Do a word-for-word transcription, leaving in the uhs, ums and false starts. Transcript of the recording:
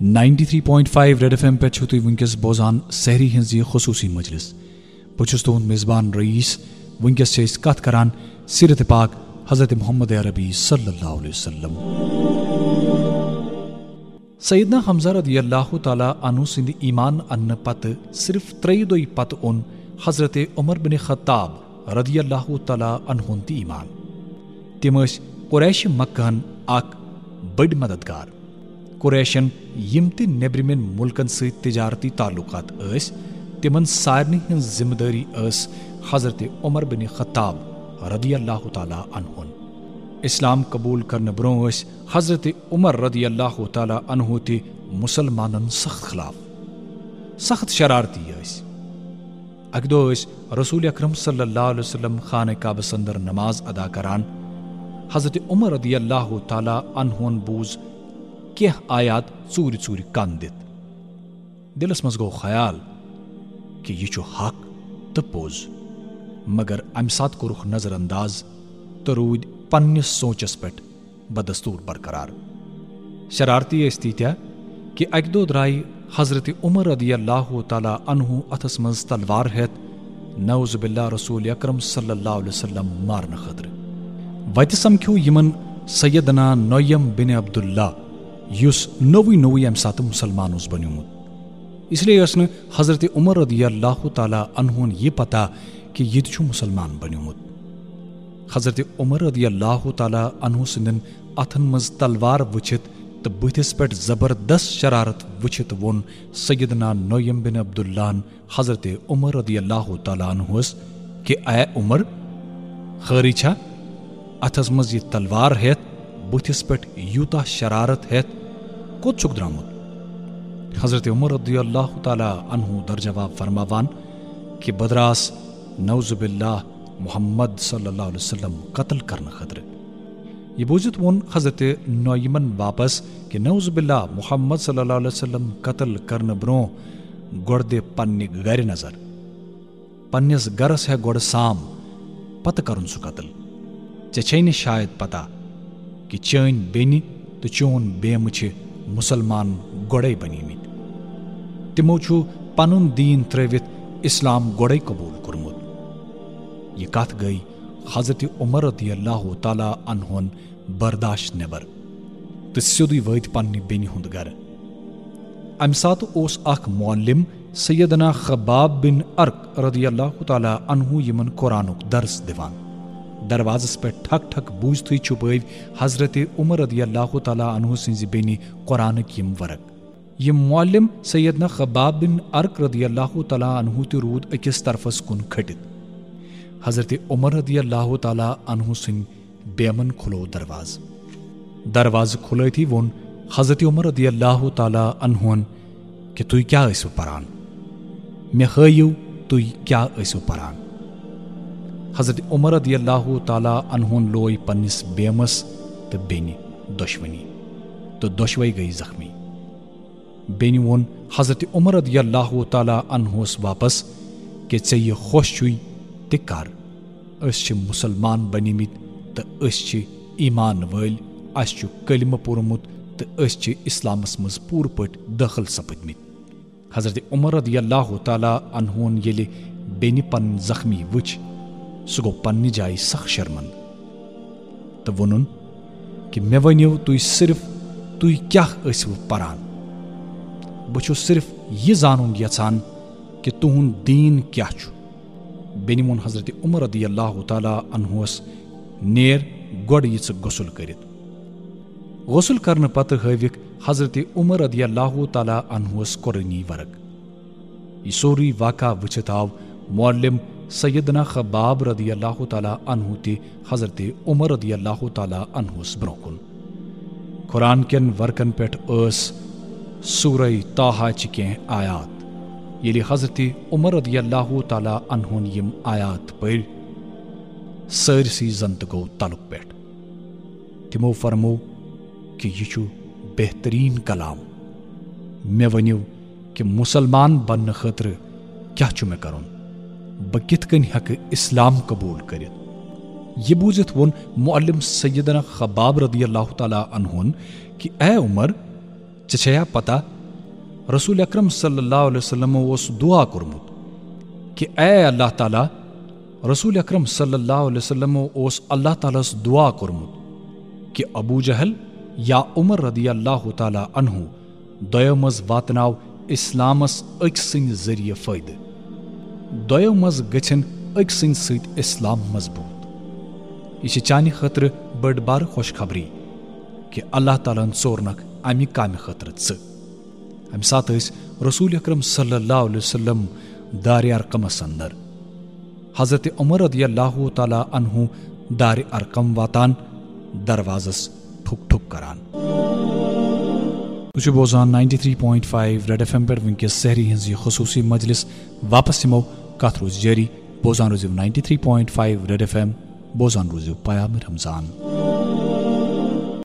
Ninety three point five red F M پٮ۪ٹھ چھِو تُہۍ وٕنکیٚس بوزان سحری ہٕنٛز یہِ خصوٗصی مجلس۔ بہٕ چھُس تُہُنٛد میزبان رئیس۔ وٕنکیٚس چھِ أسۍ کتھ کران سیرت پاک حضرت محمد عربی صلی اللہ علیہ وسلم۔ سیدنا حمزہ رضی اللہ تعالیٰ عنہ سٕنٛدِ ایمان اننہٕ پتہٕ صرف ترٛیٚیہِ دۄہہِ پتہٕ اوٚن حضرت عمر بن خطاب رضی اللہ تعالیٰ عنہ ہُن تہِ ایمان۔ تِم ٲسۍ قریش مکہ ہن اکھ بٔڑۍ مددگار۔ قریشن یِم تہِ نیبرِمٮ۪ن مُلکن سۭتۍ تجارتی تعلقات ٲسۍ، تِمن سارنٕے ہٕنٛز ذمہٕ دٲری ٲس حضرت عمر بن خطاب رضی اللہ تعالیٰ عنہ ہُن۔ اسلام قبول کرنہٕ برونٛہہ ٲسۍ حضرت عمر رضی اللہ تعالیٰ عنہ تہِ مسلمانن سخت خلاف، سخت شرارتی ٲسۍ۔ اکہِ دۄہ ٲسۍ رسول اکرم صلی اللہ علیہ وسلم خانہ کعبس اندر نماز ادا کران۔ حضرت عمر رضی اللہ تعالیٰ عنہ ہن بوٗز کینٛہہ آیات ژوٗرِ ژوٗرِ کن دِتھ۔ دِلس منٛز گوٚو خیال کہِ یہِ چھُ حق تہٕ پوٚز، مگر امہِ ساتہٕ کوٚرُکھ نظر انداز تہٕ روٗدۍ پننِس سونچس پٮ۪ٹھ بدستور برقرار۔ شرارتی ٲسۍ تیٖتیٛاہ کہِ اکہِ دۄہ درٛایہِ حضرت عمر رضی اللہ تعالیٰ عنہ اتھس منٛز تلوار ہٮ۪تھ، نعوذ باللہ، رسول اکرم صلی اللہ علیہ وسلم مارنہٕ خٲطرٕ۔ وتہِ سمکھیو یِمن سیدنا نعیم بن عبداللہ، یُس نوٚوُے نوٚوُے امہِ ساتہٕ مسلمان اوس بنیومُت۔ اس لیے ٲس نہٕ حضرت عمر رضی اللہ تعالیٰ عنہ ہن یہِ پتہ کہِ یہِ تہِ چھُ مسلمان بنیومُت۔ حضرت عمر رضی اللہ تعالیٰ عنہ سٕنٛدٮ۪ن اتھن منٛز تلوار وٕچھِتھ تہٕ بٕتھِس پٮ۪ٹھ زبردست شرارت وٕچھِتھ ووٚن سیدنا نعیم بن عبداللہ ہن حضرت عمر رضی اللہ تعالیٰ عنہس کہِ اے عمر، خٲرٕے چھا؟ اتھس منٛز یہِ تلوار ہٮ۪تھ، بٕتھِس پٮ۪ٹھ یوٗتاہ شرارت ہٮ۪تھ کوٚت چھُکھ درٛامُت؟ حضرت عمر رضی اللہ تعالیٰ عنہ در جواب فرماوان کہِ بہٕ دراس نعوذ باللہ محمد صلی اللہ علیہ وسلم قتل کرنہٕ خٲطرٕ۔ یہِ بوٗزِتھ ووٚن حضرت نعیمن واپس کہِ نعوذ باللہ، محمد صلی اللہ علیہ وسلم قتل کرنہٕ برونٛہہ گۄڈٕ دِ پننہِ گرِ نظر۔ پننِس گرس ہیٚہ گۄڈٕ سام، پتہٕ کرُن سُہ قتل۔ ژےٚ چھے نہٕ شاید پتہ کہِ چٲنۍ بیٚنہِ تہٕ چون بیمہٕ چھِ مسلمان گۄڈے بنیمٕتۍ۔ تِمو چھُ پنُن دیٖن ترٲوِتھ اسلام گۄڈے قبول کوٚرمُت۔ یہِ کتھ گٔے حضرت عمر رضی اللہ تعالیٰ عنہن برداشت نٮ۪بر تہٕ سیوٚدُے وٲتۍ پننہِ بیٚنہِ ہُنٛد گرٕ۔ امہِ ساتہٕ اوس اکھ معلم سیدنا خباب بن ارق رضی اللہ تعالیٰ عنہ یِمن قرآنُک درس دِوان۔ دروازس پٮ۪ٹھ ٹھک ٹھک بوٗزتھٕے چھُپٲوۍ حضرت عمر رضی اللہ تعالیٰ عنہ سٕنٛزِ بیٚنہِ قرآنٕکۍ یِم ورق۔ یِم معلم سیدنا خباب بن ارق رضی اللہ تعالیٰ عنہ تہِ روٗد أکِس طرفس کُن کھٔٹِتھ۔ حضرت عمر رضی اللہ تعالیٰ عنہ سٕنٛدۍ بیمن کھُلوو دروازٕ۔ دروازٕ کھُلٲوتھٕے ووٚن حضرت عمر رضی اللہ تعالیٰ عنہن کہِ تُہۍ کیٛاہ ٲسِو پران؟ مےٚ ہٲیِو تُہۍ کیٛاہ ٲسِو پران؟ حضرت عمر رضی اللہ تعالیٰ عنہن لوے پننِس بیمس تہٕ بیٚنہِ دۄشوٕنی، تہٕ دۄشوے گٔیہِ زخمی۔ بیٚنہِ ووٚن حضرت عمر رضی اللہ تعالیٰ عنہس واپس کہِ ژےٚ یہِ خۄش چھُے تہِ کر، أسۍ چھِ مسلمان بنیمٕتۍ تہٕ أسۍ چھِ ایمان وٲلۍ، اسہِ چھُ کلمہٕ پوٚرمُت تہٕ أسۍ چھِ اسلامس منٛز پوٗرٕ پٲٹھۍ دٲخل سپٕدمٕتۍ۔ حضرت عمر رضی اللہ تعالیٰ عنہن ییٚلہِ بیٚنہِ پنٕنۍ زخمی وٕچھ، سُہ گوٚو پننہِ جایہِ سخ شرمندٕ تہٕ ووٚنُن کہِ مےٚ ؤنِو تُہۍ صرف، تُہۍ کیٛاہ ٲسِو پران؟ بہٕ چھُس صرف یہِ زانُن یژھان کہِ تُہُنٛد دیٖن کیٛاہ چھُ؟ بیٚنہِ ووٚن حضرت عمر رضی اللہ تعالیٰ عنہس، نیر گۄڈٕ یہِ ژٕ غسل کٔرِتھ۔ غسل کرنہٕ پتہٕ ہٲوِکھ حضرت عمر رضی اللہ تعالیٰ عنہس قرآنی ورق۔ یہِ سورُے واقعہ وٕچھِتھ آو معلم سیدنا خباب رضی اللہ تعالیٰ عنہ تہِ حضرت عمر رضی اللہ تعالیٰ عنہس برونٛہہ کُن۔ قرآن کٮ۪ن ورقن پٮ۪ٹھ ٲس سورہ طٰہٰ چہِ کینٛہہ آیات۔ ییٚلہِ حضرت عمر رضی اللہ تعالیٰ عنہن یِم آیات پٔرۍ، سٲرسٕے زن تہٕ گوٚو تلُک پٮ۪ٹھ۔ تِمو فرموو کہِ یہِ چھُ بہتریٖن کلام۔ مےٚ ؤنِو کہِ مسلمان بننہٕ خٲطرٕ کیٛاہ چھُ مےٚ کرُن؟ بہٕ کِتھ کٔنۍ ہٮ۪کہٕ اسلام قبول کٔرِتھ؟ یہِ بوٗزِتھ ووٚن معلم سیدنا خباب رضی اللہ تعالیٰ عنہن کہِ اے عمر، ژےٚ چھےٚ یا پتہ، رسول اکرم صلی اللہ علیہ وسلم اوس دعا کوٚرمُت کہ اے اللہ تعالیٰ، رسول اکرم صلی اللہ علیہ وسلم اوس اللہ تعالیٰ ہس دعا کوٚرمُت کہ ابو جہل یا عمر رضی اللہ تعالیٰ عنہ دۄیو منٛز واتناو اسلامس أکۍ سٕنٛدِ ذٔریعہٕ فٲیدٕ۔ دۄیو منٛز گٔژھِن أکۍ سٕنٛدِ سۭتۍ اسلام مضبوٗط۔ یہِ چھِ چانہِ خٲطرٕ بٔڑ بار خوشخبری کہ اللہ تعالیٰ ہن ژورنکھ امہِ کامہِ خٲطرٕ ژٕ۔ امہِ ساتہٕ ٲسۍ رسول اکرم صلی اللہ علیہ وسلم دارِ ارقمس اندر۔ حضرت عمر رضی اللہ تعالیٰ عنہ دارِ ارقم واتان، دروازس ٹھُک ٹھُک کران۔ تُہۍ چھِو بوزان ninety three point five Red F M پٮ۪ٹھ وٕنکیٚس سحری ہٕنٛز یہِ خصوٗصی مجلس۔ واپس یِمو، کتھ روزِ جٲری۔ بوزان روٗزِو ninety three point five Red F M، بوزان روٗزِو پیام رمضان۔